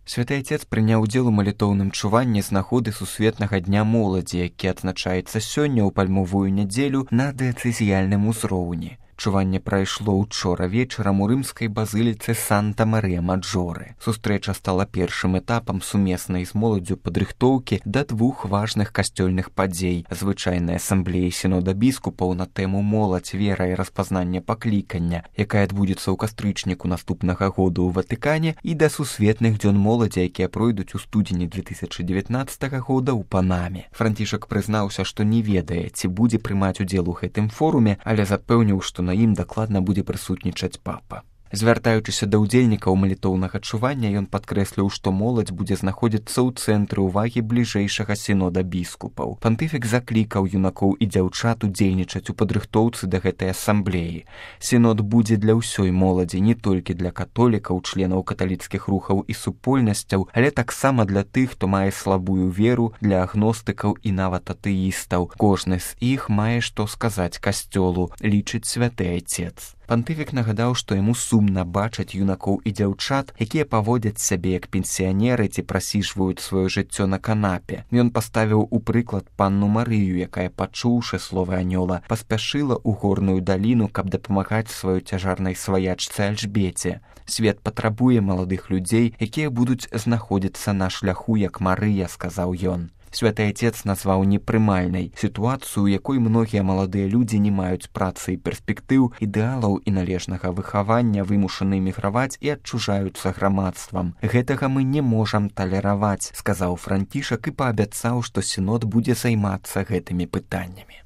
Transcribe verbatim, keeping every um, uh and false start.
Святы Айцец прыняў удзел у малітоўным чуванні з нагоды сусветнага дня моладзі, які адзначаецца сёння ў пальмовую нядзелю на дыяцэзіяльным узроўні. Чуванне прайшло ўчора вечарам у рымскай базыліцы Санта-Марыя-Маджоры. Сустрэча стала першым этапам сумеснай з моладдзю падрыхтоўкі да двух важных касцёльных падзей: звычайнай асамблеі сінода біскупаў на тэму «Моладзь, вера і распазнанне паклікання», якая адбудзецца ў кастрычніку наступнага году ў Ватыкане, і да сусветных дзён моладзі, якія пройдуць у студзені две тысячы дзевятнаццатага года ў Панаме. Францішак прызнаўся, што не ведае, ці будзе прымаць удзел у гэтым форуме, але запэўніў, што на ім дакладна будзе прысутнічаць папа. Звяртаючыся да ўдзельнікаў малітоўнага чування, ён падкрэсліў, што моладзь будзе знаходзіцца ў цэнтры ўвагі бліжэйшага сінода біскупаў. Пантыфік заклікаў юнакоў і дзяўчат удзельнічаць у падрыхтоўцы да гэтай асамблеі. Сінод будзе для ўсёй моладзі, не толькі для католікаў, членаў каталіцкіх рухаў і супольнасцяў, але таксама для тых, хто мае слабую веру, для агностыкаў і нават атэістаў. Кожны з іх мае што сказаць касцёлу, лічыць святы Айцец. Пантыфік нагадаў, што яму сумна бачыць юнакоў і дзяўчат, якія паводзяць сябе як пенсіянеры ці прасіжваюць сваё жыццё на канапе. Ён паставіў у прыклад панну Марыю, якая, пачуўшы словы анёла, паспяшыла ў горную даліну, каб дапамагаць сваёй цяжарнай сваячцы Альжбеце. Свет патрабуе маладых людзей, якія будуць знаходзіцца на шляху, як Марыя, сказаў ён. Святы Айцец назваў непрымальнай сітуацыю, у якой многія маладыя людзі не маюць працы і перспектыў, ідэалаў і належнага выхавання, вымушаны міграваць і адчужаюцца грамадствам. Гэтага мы не можам талераваць, сказаў Францішак і паабяцаў, што сінод будзе займацца гэтымі пытаннямі.